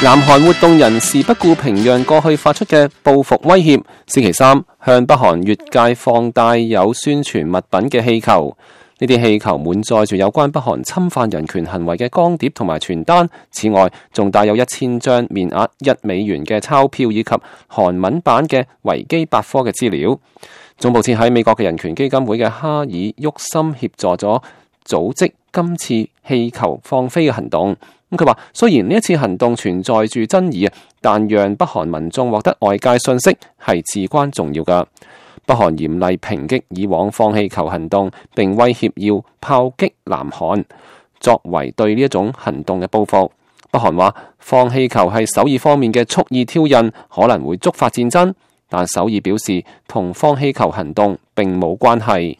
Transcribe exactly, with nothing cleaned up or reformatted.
南韓活動人士不顧平壤過去發出嘅報復威脅，星期三向北韓越界放帶有宣傳物品嘅氣球。呢啲氣球滿載住有關北韓侵犯人權行為嘅光碟同埋傳單，此外仲帶有一千張面額一美元嘅鈔票以及韓文版嘅維基百科嘅資料。總部設喺美國嘅人權基金會嘅哈爾沃森協助咗組織今次氣球放飛嘅行動。咁佢話，雖然呢一次行動存在住爭議啊，但讓北韓民眾獲得外界信息係至關重要㗎。北韓嚴厲抨擊以往放氣球行動，並威脅要炮擊南韓，作為對呢一種行動嘅報復。北韓話放氣球係首爾方面嘅蓄意挑釁，可能會觸發戰爭，但首爾表示同放氣球行動並冇關係。